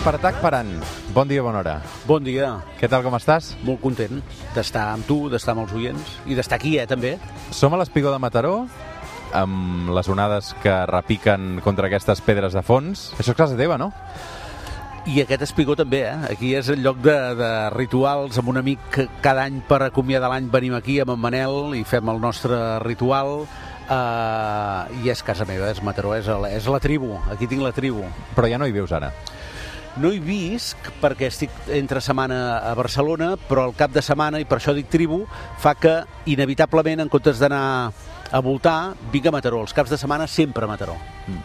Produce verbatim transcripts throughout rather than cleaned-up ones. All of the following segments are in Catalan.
Espartac Paran, bon dia, bona hora. Bon dia. Què tal, com estàs? Molt content d'estar amb tu, d'estar amb els oients i d'estar aquí, eh, també. Som a l'Espigó de Mataró, amb les onades que repiquen contra aquestes pedres de fons. Això és casa teva, no? I aquest espigó també, eh? Aquí és el lloc de, de rituals, amb un amic que cada any per acomiadar l'any venim aquí amb en Manel i fem el nostre ritual. Uh, i és casa meva, és Mataró, és la, és la tribu, aquí tinc la tribu. Però ja no hi vius ara. No hi visc perquè estic entre setmana a Barcelona, però el cap de setmana, i per això dic tribu, fa que inevitablement, en comptes d'anar a voltar, vinc a Mataró. Els caps de setmana sempre a Mataró. Mm.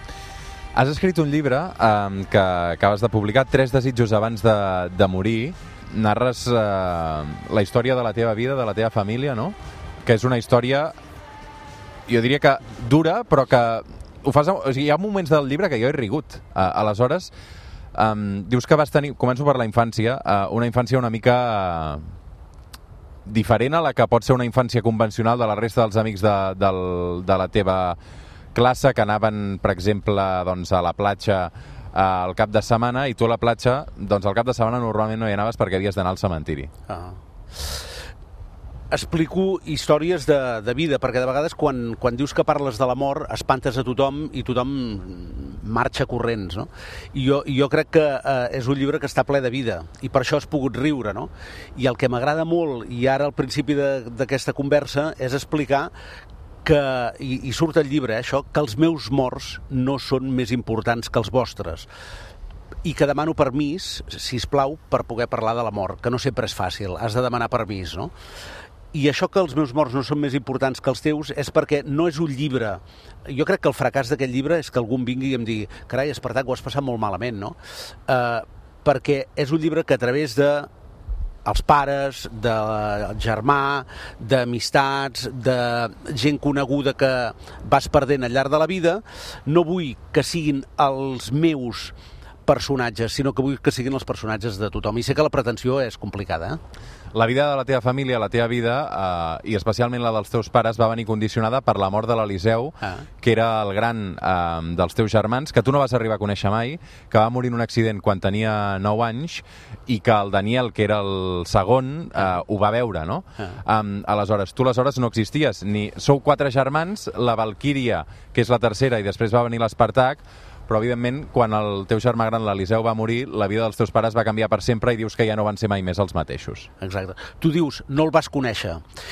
Has escrit un llibre eh, que acabes de publicar, Tres desitjos abans de, de morir. Narres eh, la història de la teva vida, de la teva família, no? Que és una història, jo diria que dura, però que ho fas... O sigui, hi ha moments del llibre que jo he rigut. Uh, aleshores, um, dius que vas tenir... Començo per la infància, uh, una infància una mica uh, diferent a la que pot ser una infància convencional de la resta dels amics de, del, de la teva classe, que anaven, per exemple, doncs, a la platja uh, al cap de setmana, i tu a la platja, doncs al cap de setmana normalment no hi anaves perquè havies d'anar al cementiri. Ah. Explico històries de, de vida, perquè de vegades quan, quan dius que parles de la mort espantes a tothom i tothom marxa corrents, no? I jo, jo crec que eh, és un llibre que està ple de vida i per això has pogut riure, no? I el que m'agrada molt, i ara al principi d'aquesta conversa, és explicar que, i, i surt el llibre, eh, això, que els meus morts no són més importants que els vostres, i que demano permís, sisplau, per poder parlar de la mort, que no sempre és fàcil, has de demanar permís, no? I això que els meus morts no són més importants que els teus és perquè no és un llibre. Jo crec que el fracàs d'aquest llibre és que algú em vingui i em digui carai, Espartac, ho has passat molt malament, no? Uh, perquè és un llibre que a través de els pares, del germà, d'amistats, de gent coneguda que vas perdent al llarg de la vida, no vull que siguin els meus personatges, sinó que vull que siguin els personatges de tothom. I sé que la pretensió és complicada, eh? La vida de la teva família, la teva vida, eh, i especialment la dels teus pares, va venir condicionada per la mort de l'Eliseu, ah. que era el gran eh, dels teus germans, que tu no vas arribar a conèixer mai, que va morir en un accident quan tenia nou anys, i que el Daniel, que era el segon, eh, ah. ho va veure, no? Ah. Um, aleshores, tu aleshores no existies, ni sou quatre germans, la Valquíria, que és la tercera, i després va venir l'Espartac, però evidentment quan el teu germà gran, l'Eliseu, va morir, la vida dels teus pares va canviar per sempre i dius que ja no van ser mai més els mateixos. Exacte. Tu dius, no el vas conèixer,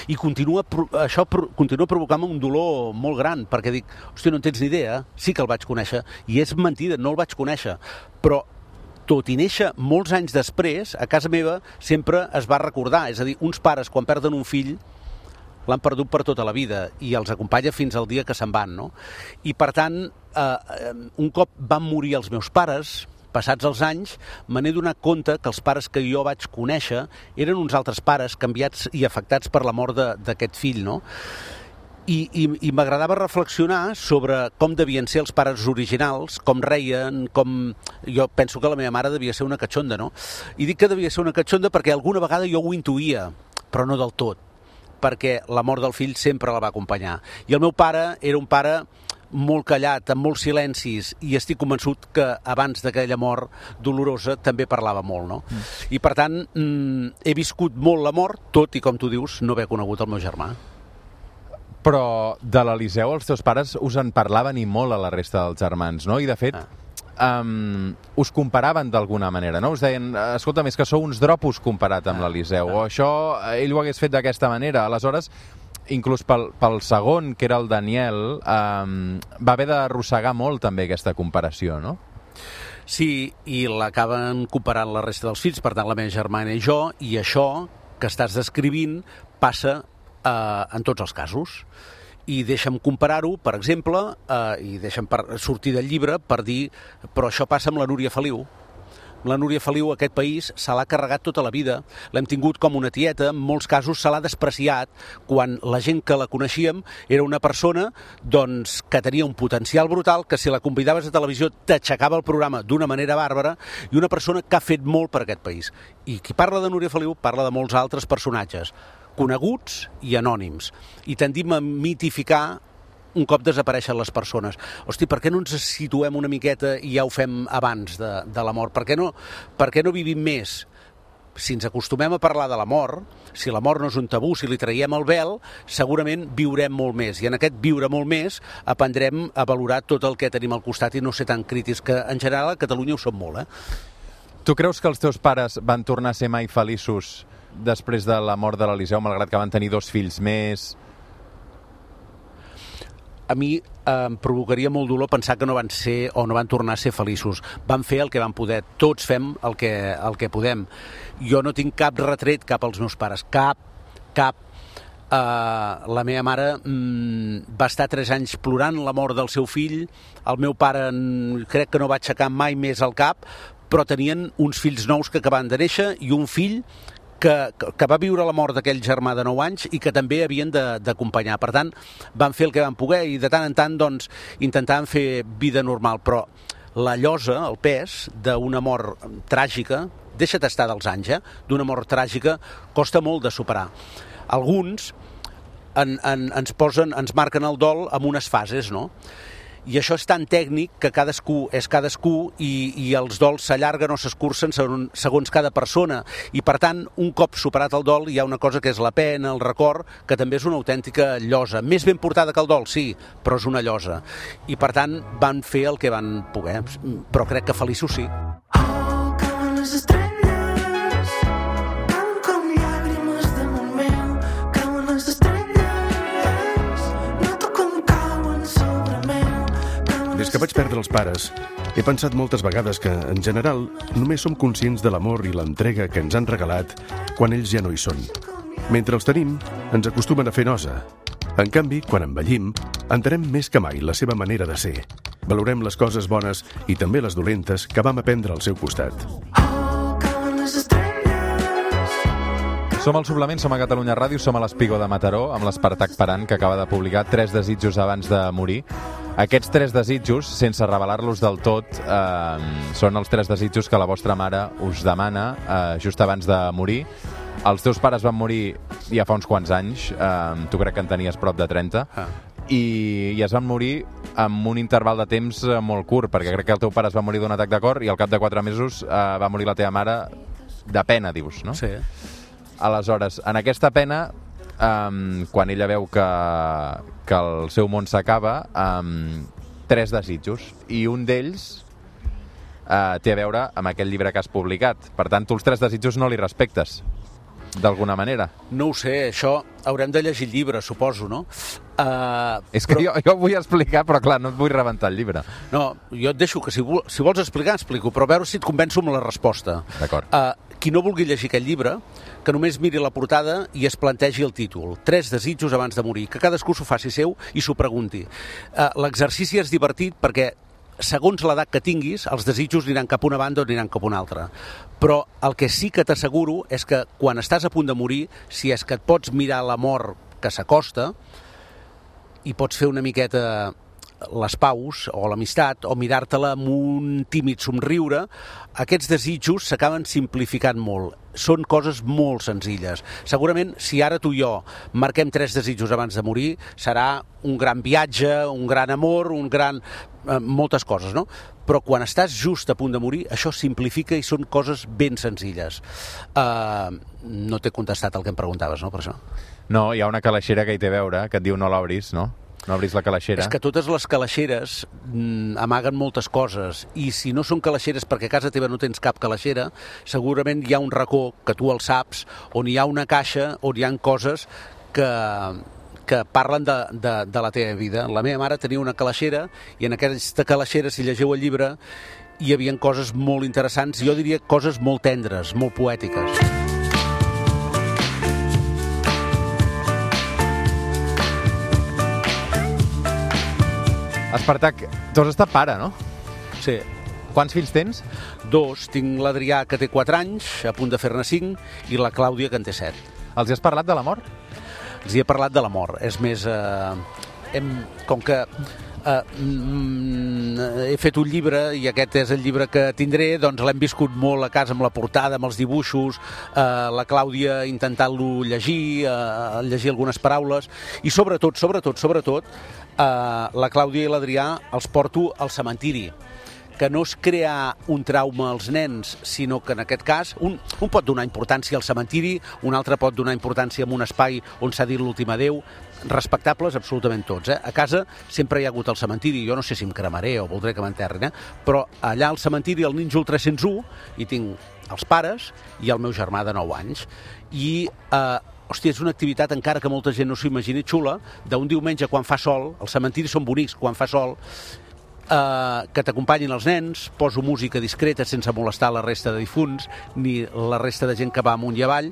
i continua, això continua provocant un dolor molt gran, perquè dic, hòstia, no en tens ni idea, sí que el vaig conèixer, i és mentida, no el vaig conèixer, però tot i néixer molts anys després, a casa meva sempre es va recordar, és a dir, uns pares quan perden un fill l'han perdut per tota la vida i els acompanya fins al dia que se'n van, no? I per tant, eh, un cop van morir els meus pares, passats els anys, me n'he donat compte que els pares que jo vaig conèixer eren uns altres pares canviats i afectats per la mort d'aquest fill, no? I, i, i m'agradava reflexionar sobre com devien ser els pares originals, com reien, com... Jo penso que la meva mare devia ser una catxonda, no? I dic que devia ser una catxonda perquè alguna vegada jo ho intuïa, però no del tot, perquè la mort del fill sempre la va acompanyar. I el meu pare era un pare molt callat, amb molts silencis, i estic convençut que abans d'aquella mort dolorosa també parlava molt, no? Mm. I per tant, mm, he viscut molt la mort, tot i, com tu dius, no haver conegut el meu germà. Però de l'Eliseu els teus pares us en parlaven i molt a la resta dels germans, no? I de fet... Ah. Um, us comparaven d'alguna manera, no? Us deien, escolta, més que sou uns dropos comparat amb ah, l'Eliseu, ah. o això ell ho hagués fet d'aquesta manera. Aleshores, inclús pel, pel segon, que era el Daniel, um, va haver d'arrossegar molt també aquesta comparació, no? Sí, i l'acaben comparant la resta dels fills, per tant la meva germana i jo, i això que estàs descrivint passa uh, en tots els casos. I deixa'm comparar-ho, per exemple, eh, i deixa'm per sortir del llibre per dir, però això passa amb la Núria Feliu. La Núria Feliu, aquest país, se l'ha carregat tota la vida. L'hem tingut com una tieta, en molts casos se l'ha despreciat, quan la gent que la coneixíem era una persona doncs, que tenia un potencial brutal, que si la convidaves a televisió t'aixecava el programa d'una manera bàrbara, i una persona que ha fet molt per aquest país. I qui parla de Núria Feliu parla de molts altres personatges, coneguts i anònims, i tendim a mitificar un cop desapareixen les persones. Hosti, per què no ens situem una miqueta i ja ho fem abans de, de la mort? Per què no, per què no vivim més? Si ens acostumem a parlar de la mort, si la mort no és un tabú, si li traiem el vel, segurament viurem molt més. I en aquest viure molt més aprendrem a valorar tot el que tenim al costat i no ser tan crítics, que en general a Catalunya ho som molt, eh? Tu creus que els teus pares van tornar a ser mai feliços després de la mort de l'Eliseu, malgrat que van tenir dos fills més? A mi eh, em provocaria molt dolor pensar que no van ser o no van tornar a ser feliços. Van fer el que van poder. Tots fem el que, el que podem. Jo no tinc cap retret cap als meus pares. Cap, cap. Uh, la meva mare mm, va estar tres anys plorant la mort del seu fill. El meu pare mm, crec que no va aixecar mai més el cap, però tenien uns fills nous que acabaven de néixer i un fill que, que va viure la mort d'aquell germà de nou anys i que també havien d'acompanyar. Per tant, van fer el que van poder i de tant en tant doncs, intentaven fer vida normal. Però la llosa, el pes d'una mort tràgica, deixa't estar dels anys, eh? D'una mort tràgica, costa molt de superar. Alguns en, en, ens posen, ens marquen el dol amb unes fases, no? I això és tan tècnic que cadascú és cadascú i, i els dols s'allarguen o s'escurcen segons, segons cada persona. I, per tant, un cop superat el dol, hi ha una cosa que és la pena, el record, que també és una autèntica llosa. Més ben portada que el dol, sí, però és una llosa. I, per tant, van fer el que van poder. Però crec que feliços sí. Oh, cauen les estrelles, cauen com llàgrimes damunt meu, cauen les estrelles, noto com cauen sobre meu. Des que vaig perdre els pares, he pensat moltes vegades que, en general, només som conscients de l'amor i l'entrega que ens han regalat quan ells ja no hi són. Mentre els tenim, ens acostumen a fer nosa. En canvi, quan envellim, entenem més que mai la seva manera de ser. Valorem les coses bones i també les dolentes que vam aprendre al seu costat. Oh, cauen les estrelles. Som al Suplement, som a Catalunya Ràdio, som a l'Espigó de Mataró, amb l'Espartac Parant, que acaba de publicar Tres desitjos abans de morir. Aquests tres desitjos, sense revelar-los del tot, eh, són els tres desitjos que la vostra mare us demana eh, just abans de morir. Els teus pares van morir ja fa uns quants anys, eh, tu crec que en tenies prop de trenta, ah. i, i es van morir amb un interval de temps molt curt, perquè crec que el teu pare es va morir d'un atac de cor i al cap de quatre mesos eh, va morir la teva mare de pena, dius, no? Sí. Aleshores, en aquesta pena, um, quan ella veu que, que el seu món s'acaba, um, tres desitjos, i un d'ells uh, té a veure amb aquest llibre que has publicat. Per tant, tu els tres desitjos no li respectes, d'alguna manera. No ho sé, això haurem de llegir el llibre, suposo, no? Uh, És que però... jo, jo vull explicar, però clar, no et vull rebentar el llibre. No, jo et deixo que si, vol, si vols explicar, explico, però a veure si et convenço amb la resposta. D'acord. Uh, qui no vulgui llegir aquest llibre, que només miri la portada i es plantegi el títol. Tres desitjos abans de morir. Que cadascú s'ho faci seu i s'ho pregunti. Uh, L'exercici és divertit perquè segons l'edat que tinguis, els desitjos aniran cap a una banda o aniran cap a una altra. Però el que sí que t'asseguro és que quan estàs a punt de morir, si és que et pots mirar la mort que s'acosta i pots fer una miqueta les paus o l'amistat o mirar-te-la amb un tímid somriure, aquests desitjos s'acaben simplificant molt. Són coses molt senzilles. Segurament, si ara tu i jo marquem tres desitjos abans de morir, serà un gran viatge, un gran amor, un gran... Eh, moltes coses, no? Però quan estàs just a punt de morir, això simplifica i són coses ben senzilles. Uh, no t'he contestat el que em preguntaves, no, per això? No, hi ha una calaixera que hi té a veure, que et diu no l'obris, no? No obris la calaixera. És que totes les calaixeres mm, amaguen moltes coses, i si no són calaixeres perquè a casa teva no tens cap calaixera, segurament hi ha un racó, que tu el saps, on hi ha una caixa, on hi ha coses que, que parlen de, de, de la teva vida. La meva mare tenia una calaixera, i en aquesta calaixera, si llegeu el llibre, hi havia coses molt interessants, jo diria coses molt tendres, molt poètiques. Espartac, tu has estat pare, no? Sí. Quants fills tens? Dos. Tinc l'Adrià, que té quatre anys, a punt de fer-ne cinc, i la Clàudia, que en té set. Els hi has parlat de la mort? Els hi he parlat de la mort. És més, eh, hem, com que Uh, mm, he fet un llibre, i aquest és el llibre que tindré, doncs l'hem viscut molt a casa amb la portada, amb els dibuixos, uh, la Clàudia intentant-lo llegir, uh, llegir algunes paraules, i sobretot, sobretot, sobretot, uh, la Clàudia i l'Adrià els porto al cementiri, que no és crear un trauma als nens, sinó que en aquest cas un, un pot donar importància al cementiri, un altre pot donar importància a un espai on s'ha dit l'últim adeu, respectables absolutament tots. Eh? A casa sempre hi ha hagut el cementiri, jo no sé si em cremaré o voldré que m'enterrin, eh? Però allà al cementiri, al Ninjol tres cents u, hi tinc els pares i el meu germà de nou anys. I, eh, hòstia, és una activitat, encara que molta gent no s'ho imagini, xula, d'un diumenge quan fa sol, els cementiris són bonics quan fa sol, Uh, que t'acompanyin els nens, poso música discreta sense molestar la resta de difunts ni la resta de gent que va amunt i avall,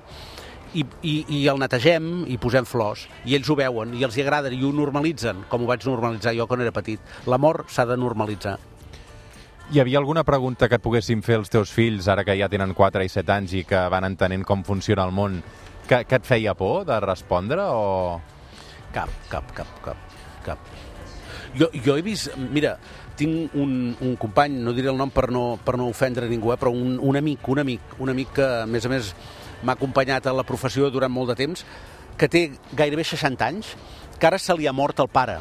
i, i, i el netegem i posem flors, i ells ho veuen i els hi agrada i ho normalitzen, com ho vaig normalitzar jo quan era petit. L'amor s'ha de normalitzar. Hi havia alguna pregunta que et poguessin fer els teus fills, ara que ja tenen quatre i set anys i que van entenent com funciona el món, que, que et feia por de respondre o...? Cap, cap, cap, cap, cap. Jo, jo he vist, mira, tinc un, un company, no diré el nom per no, per no ofendre ningú, eh, però un, un amic, un amic, un amic que, a més a més, m'ha acompanyat a la professió durant molt de temps, que té gairebé seixanta anys, que ara se li ha mort el pare.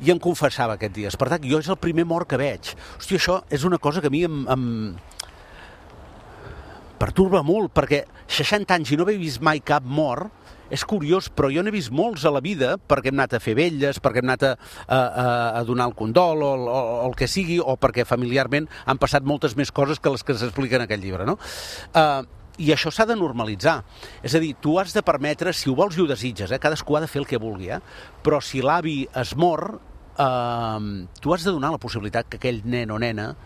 I em confessava aquests dies. Per tant, jo és el primer mort que veig. Hòstia, això és una cosa que a mi em, em perturba molt, perquè seixanta anys i no haver vist mai cap mort, és curiós, però jo n'he vist molts a la vida perquè hem anat a fer vetlles, perquè hem anat a, a, a donar el condol o, o, o el que sigui, o perquè familiarment han passat moltes més coses que les que s'expliquen en aquest llibre, no? Uh, I això s'ha de normalitzar. És a dir, tu has de permetre, si ho vols i ho desitges, eh, cadascú ha de fer el que vulgui, eh? Però si l'avi es mor, uh, tu has de donar la possibilitat que aquell nen o nena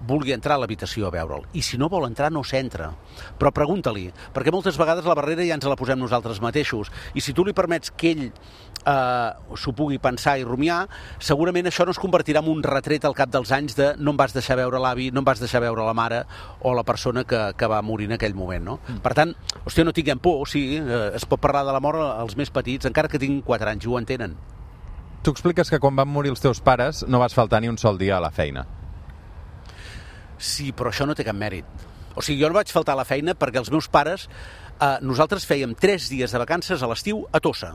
vulgui entrar a l'habitació a veure'l. I si no vol entrar, no s'entra. Però pregunta-li, perquè moltes vegades la barrera ja ens la posem nosaltres mateixos. I si tu li permets que ell eh, s'ho pugui pensar i rumiar, segurament això no es convertirà en un retret al cap dels anys de no em vas deixar veure l'avi, no em vas deixar veure la mare o la persona que, que va morir en aquell moment, no? Mm. Per tant, hòstia, no tinguem por, sí, eh, es pot parlar de la mort als més petits, encara que tinguin quatre anys, i ho entenen. Tu expliques que quan van morir els teus pares no vas faltar ni un sol dia a la feina. Sí, però això no té cap mèrit. O sigui, jo no vaig faltar a la feina perquè els meus pares, eh, nosaltres fèiem tres dies de vacances a l'estiu a Tossa,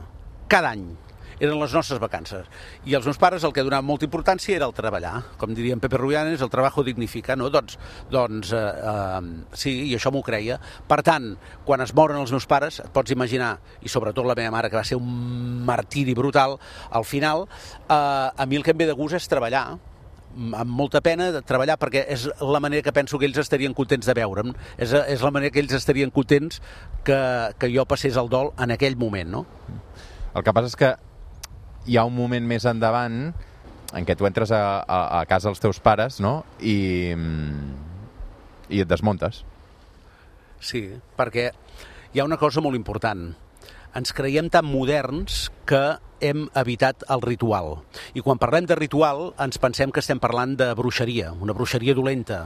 cada any. Eren les nostres vacances. I els meus pares el que donaven molta importància era el treballar. Com diria en Pepe Rubianes, el trabajo dignifica, no? Doncs, doncs eh, eh, sí, i això m'ho creia. Per tant, quan es moren els meus pares, et pots imaginar, i sobretot la meva mare, que va ser un martiri brutal, al final, eh, a mi el que em ve de gust és treballar, amb molta pena de treballar, perquè és la manera que penso que ells estarien contents de veure'm, és, és la manera que ells estarien contents que, que jo passés el dol en aquell moment, no? El que passa és que hi ha un moment més endavant en què tu entres a, a, a casa dels teus pares, no? I, i et desmuntes. Sí, perquè hi ha una cosa molt important. Ens creiem tan moderns que hem evitat el ritual. I quan parlem de ritual ens pensem que estem parlant de bruixeria, una bruixeria dolenta,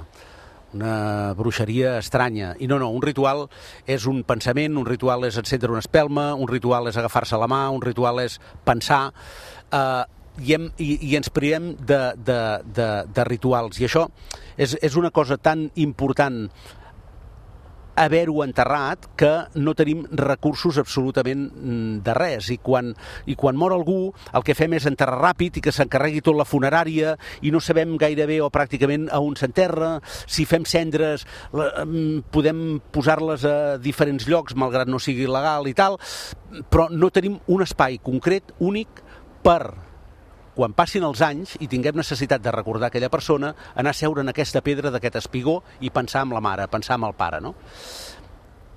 una bruixeria estranya. I no, no, un ritual és un pensament, un ritual és encendre una espelma, un ritual és agafar-se la mà, un ritual és pensar, eh, i, hem, i, i ens priem de, de, de, de rituals. I això és, és una cosa tan important haver-ho enterrat que no tenim recursos absolutament de res, i quan, i quan mor algú el que fem és enterrar ràpid i que s'encarregui tot la funerària i no sabem gairebé o pràcticament a on s'enterra. Si fem cendres podem posar-les a diferents llocs malgrat no sigui legal i tal, però no tenim un espai concret, únic, per quan passin els anys i tinguem necessitat de recordar aquella persona, anar a seure en aquesta pedra d'aquest espigó i pensar en la mare, pensar en el pare, no?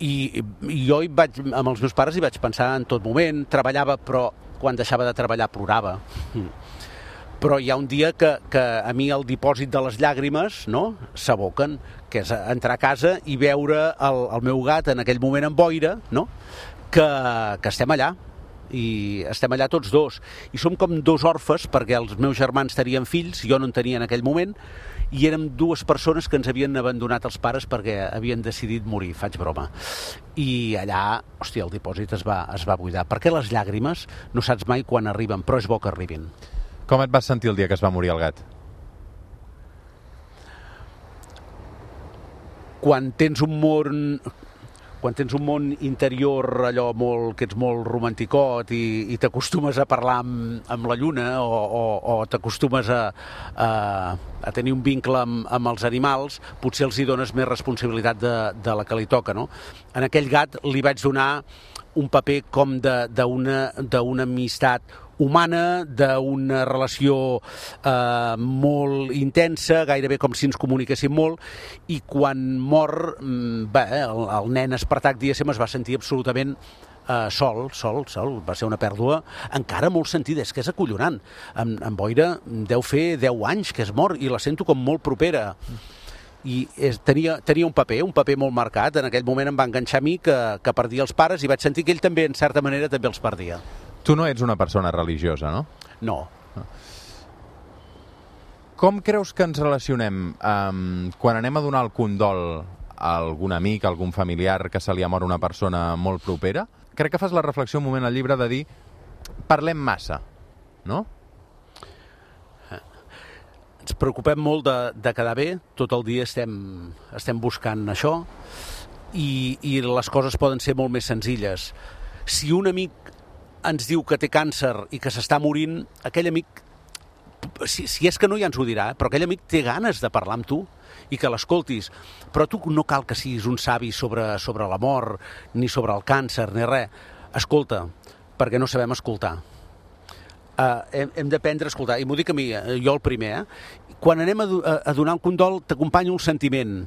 I, i jo hi vaig, amb els meus pares hi vaig pensar en tot moment, treballava, però quan deixava de treballar plorava. Però hi ha un dia que, que a mi el dipòsit de les llàgrimes, no?, s'aboquen, que és entrar a casa i veure el, el meu gat en aquell moment amb boira, no?, que, que estem allà. I estem allà tots dos, i som com dos orfes, perquè els meus germans tenien fills, jo no en tenia en aquell moment, i érem dues persones que ens havien abandonat els pares perquè havien decidit morir, faig broma. I allà, hòstia, el dipòsit es va, es va buidar, perquè les llàgrimes no saps mai quan arriben, però és bo que arribin. Com et vas sentir el dia que es va morir el gat? Quan tens un món... Quan tens un món interior allò molt, que ets molt romanticot i, i t'acostumes a parlar amb, amb la lluna o, o, o t'acostumes a, a, a tenir un vincle amb, amb els animals, potser els hi dones més responsabilitat de, de la que li toca, no? En aquell gat li vaig donar un paper com d'una d'una amistat humana, d'una relació eh, molt intensa, gairebé com si ens comuniquéssim molt, i quan mor, bé, el, el nen Espartac, diguéssim, es va sentir absolutament eh, sol, sol, sol, va ser una pèrdua encara molt sentida, és que és acollonant. En, en Boira deu fer deu anys que es mor i la sento com molt propera. I és, tenia, tenia un paper, un paper molt marcat. En aquell moment em va enganxar a mi que, que perdia els pares i vaig sentir que ell també, en certa manera, també els perdia. Tu no ets una persona religiosa, no? No. Com creus que ens relacionem um, quan anem a donar el condol a algun amic, a algun familiar que se li ha mort una persona molt propera? Crec que fas la reflexió un moment al llibre de dir parlem massa, no? Ens preocupem molt de, de quedar bé, tot el dia estem, estem buscant això i, i les coses poden ser molt més senzilles. Si un amic ens diu que té càncer i que s'està morint, aquell amic, si, si és que no ja ens ho dirà, però aquell amic té ganes de parlar amb tu i que l'escoltis. Però tu no cal que siguis un savi sobre, sobre la mort, ni sobre el càncer, ni res. Escolta, perquè no sabem escoltar. Uh, hem, hem d'aprendre a escoltar. I m'ho dic a mi, jo el primer, eh? Quan anem a, a, a donar un condol, t'acompanya un sentiment.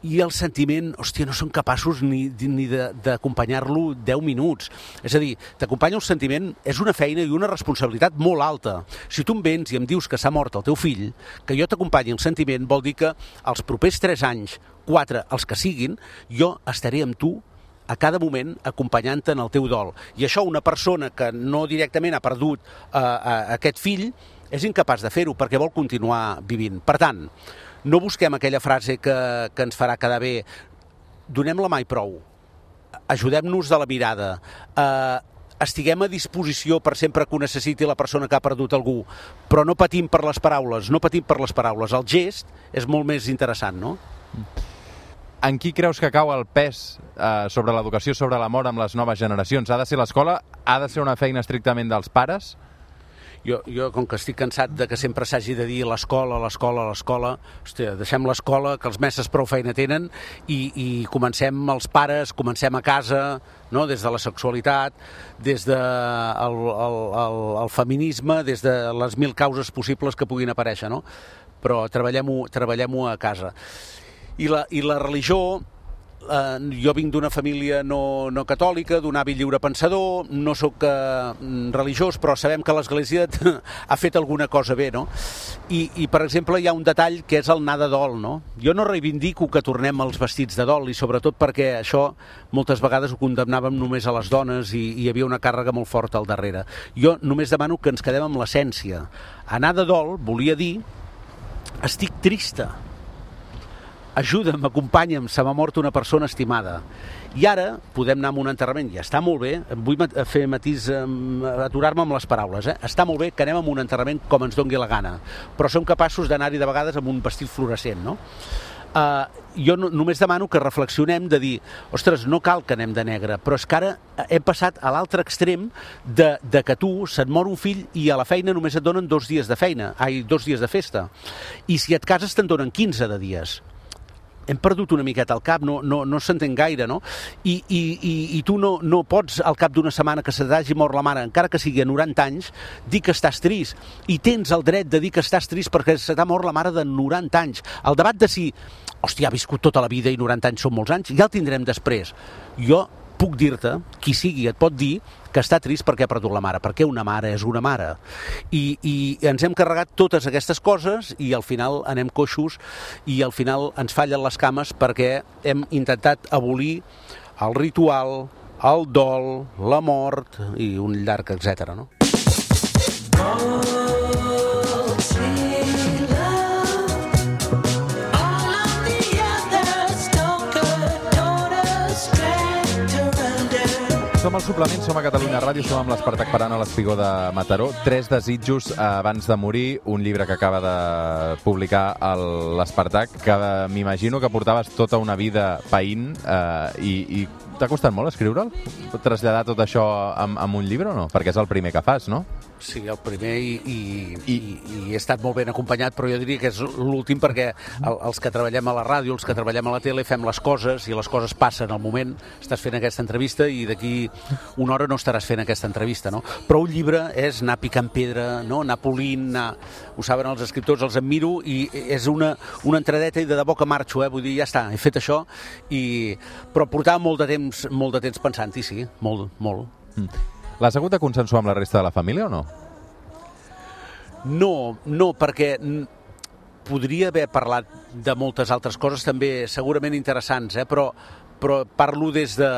I el sentiment, hòstia, no són capaços ni, ni d'acompanyar-lo deu minuts. És a dir, t'acompanya un sentiment, és una feina i una responsabilitat molt alta. Si tu em vens i em dius que s'ha mort el teu fill, que jo t'acompanyi el sentiment, vol dir que els propers tres anys, quatre, els que siguin, jo estaré amb tu a cada moment acompanyant-te en el teu dol. I això una persona que no directament ha perdut eh, aquest fill és incapaç de fer-ho perquè vol continuar vivint. Per tant, no busquem aquella frase que, que ens farà quedar bé. Donem-la mai prou. Ajudem-nos de la mirada. Eh, estiguem a disposició per sempre que ho necessiti la persona que ha perdut algú. Però no patim per les paraules, no patim per les paraules. El gest és molt més interessant, no? En qui creus que cau el pes eh, sobre l'educació, sobre la mort amb les noves generacions? Ha de ser l'escola? Ha de ser una feina estrictament dels pares? Jo, jo, com que estic cansat de que sempre s'hagi de dir l'escola, l'escola, l'escola, hòstia, deixem l'escola, que els mestres prou feina tenen, i, i comencem els pares, comencem a casa, no? Des de la sexualitat, des del de el, el, el, el feminisme, des de les mil causes possibles que puguin aparèixer, no? Però treballem-ho treballem-ho a casa. I la, i la religió... Uh, jo vinc d'una família no, no catòlica, d'un avi lliurepensador, no sóc uh, religiós, però sabem que l'Església ha fet alguna cosa bé, no? I, I, per exemple, hi ha un detall que és el anar de dol, no? Jo no reivindico que tornem als vestits de dol, i sobretot perquè això moltes vegades ho condemnàvem només a les dones i, i hi havia una càrrega molt forta al darrere. Jo només demano que ens quedem amb l'essència. Anar de dol volia dir estic trista, ajuda'm, acompanya'm, se m'ha mort una persona estimada. I ara podem anar a un enterrament, ja està molt bé, vull fer matís, aturar-me amb les paraules, eh? Està molt bé que anem a un enterrament com ens dongui la gana, però som capaços d'anar-hi de vegades amb un vestit fluorescent, no? Uh, jo no, només demano que reflexionem de dir, ostres, no cal que anem de negre, però és que ara hem passat a l'altre extrem de, de que tu se't mor un fill i a la feina només et donen dos dies de feina, ai, dos dies de festa, i si et cases te'n donen quinze de dies. Hem perdut una miqueta al cap, no, no, no s'entén gaire, no? I, i, i, i tu no, no pots, al cap d'una setmana que se t'hagi mort la mare, encara que sigui a noranta anys, dir que estàs trist. I tens el dret de dir que estàs trist perquè se t'ha mort la mare de noranta anys. El debat de si, hòstia, ha viscut tota la vida i noranta anys són molts anys, ja el tindrem després. Jo puc dir-te, qui sigui et pot dir que està trist perquè ha perdut la mare, perquè una mare és una mare. I, i ens hem carregat totes aquestes coses i al final anem coixos i al final ens fallen les cames perquè hem intentat abolir el ritual, el dol, la mort i un llarg etcètera, no? Som al suplement, som a Catalunya Ràdio, som amb l'Espartac Parant a l'Espigó de Mataró. Tres desitjos abans de morir, un llibre que acaba de publicar l'Espartac, que m'imagino que portaves tota una vida païnt eh, i, i t'ha costat molt escriure'l? Traslladar tot això amb, amb un llibre o no? Perquè és el primer que fas, no? Sí, el primer i, i, I... i, i he estat molt ben acompanyat, però jo diria que és l'últim perquè el, els que treballem a la ràdio, els que treballem a la tele, fem les coses i les coses passen al moment. Estàs fent aquesta entrevista i d'aquí una hora no estaràs fent aquesta entrevista, no? Però un llibre és anar picant pedra, no? Anar polint, anar... Ho saben els escriptors, els admiro i és una, una entradeta i de debò que marxo, eh? Vull dir, ja està, he fet això i... però portava molt de temps, molt de temps pensant-hi, sí, molt, molt. Mm. L'has hagut de consensuar amb la resta de la família o no? No, no, perquè podria haver parlat de moltes altres coses també segurament interessants, eh? però, però parlo des de,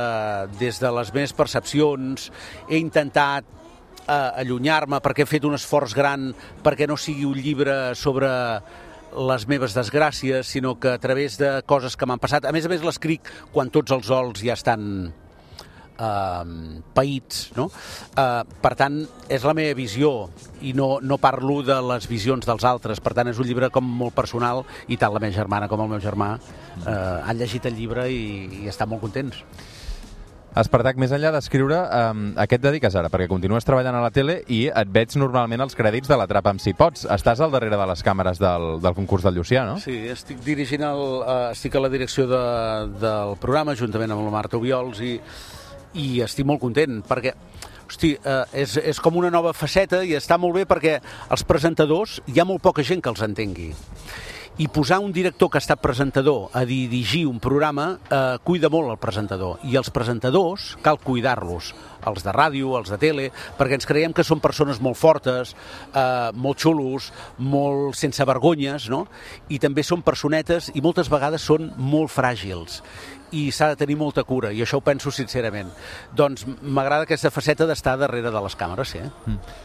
des de les meves percepcions, he intentat eh, allunyar-me perquè he fet un esforç gran perquè no sigui un llibre sobre les meves desgràcies, sinó que a través de coses que m'han passat, a més a més l'escric quan tots els ols ja estan Uh, païts, no? Uh, per tant, és la meva visió i no, no parlo de les visions dels altres, per tant és un llibre com molt personal i tant la meva germana com el meu germà uh, han llegit el llibre i, i estan molt contents. Espartac, més enllà d'escriure, um, a què et dediques ara? Perquè continues treballant a la tele i et veig normalment als crèdits de l'Atrapa'm si pots. Estàs al darrere de les càmeres del, del concurs del Llucià, no? Sí, estic dirigint el, uh, estic a la direcció de, del programa juntament amb la Marta Obiols i i estic molt content, perquè hosti, eh, és, és com una nova faceta i està molt bé perquè els presentadors hi ha molt poca gent que els entengui. I posar un director que ha estat presentador a dirigir un programa eh, cuida molt el presentador. I els presentadors cal cuidar-los, els de ràdio, els de tele, perquè ens creiem que són persones molt fortes, eh, molt xulos, molt sense vergonyes, no? I també són personetes i moltes vegades són molt fràgils. I s'ha de tenir molta cura, i això ho penso sincerament. Doncs m'agrada aquesta faceta d'estar darrere de les càmeres, sí. Mm.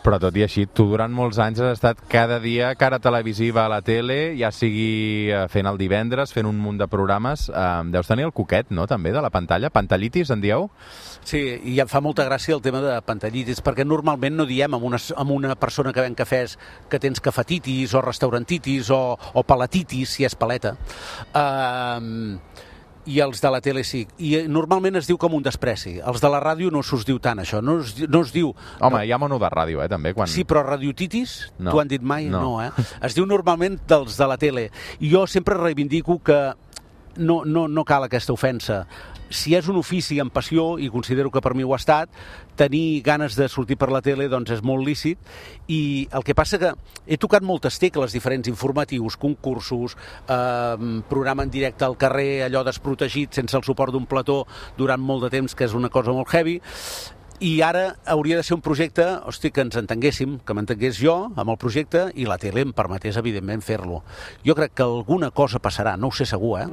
Però tot i així, tu durant molts anys has estat cada dia cara televisiva a la tele, ja sigui fent el divendres, fent un munt de programes. Eh, deus tenir el coquet, no?, també, de la pantalla. Pantallitis, en dieu? Sí, i em fa molta gràcia el tema de pantallitis, perquè normalment no diem amb una, amb una persona que ven cafès que tens cafetitis o restaurantitis o, o palatitis, si és paleta. Eh... i els de la tele sí. I normalment es diu com un despreci. Els de la ràdio no s'us diu tant, això. No es, no es diu... Home, no... hi ha mono de ràdio, eh, també. Quan... Sí, però radiotitis, no. T'ho han dit mai? No. No, eh? Es diu normalment dels de la tele. I jo sempre reivindico que no, no, no cal aquesta ofensa. Si és un ofici amb passió, i considero que per mi ho ha estat, tenir ganes de sortir per la tele doncs és molt lícit, i el que passa que he tocat moltes tecles diferents, informatius, concursos, eh, programa en directe al carrer, allò desprotegit, sense el suport d'un plató durant molt de temps, que és una cosa molt heavy, i ara hauria de ser un projecte, hosti, que ens entenguéssim, que m'entengués jo amb el projecte i la tele em permetés, evidentment, fer-lo. Jo crec que alguna cosa passarà, no ho sé segur, eh?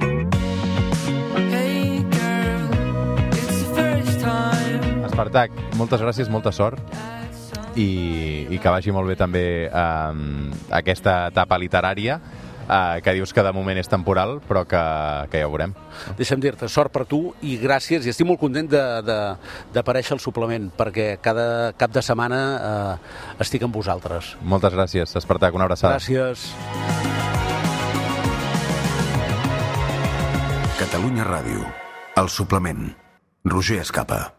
Espartac, moltes gràcies, molta sort i, i que vagi molt bé també eh, aquesta etapa literària eh, que dius que de moment és temporal però que, que ja ho veurem. Deixa'm dir-te, sort per tu i gràcies, i estic molt content d'aparèixer al suplement perquè cada cap de setmana eh, estic amb vosaltres. Moltes gràcies, Espartac, una abraçada. Gràcies. Catalunya Ràdio, el suplement. Roger Escapa.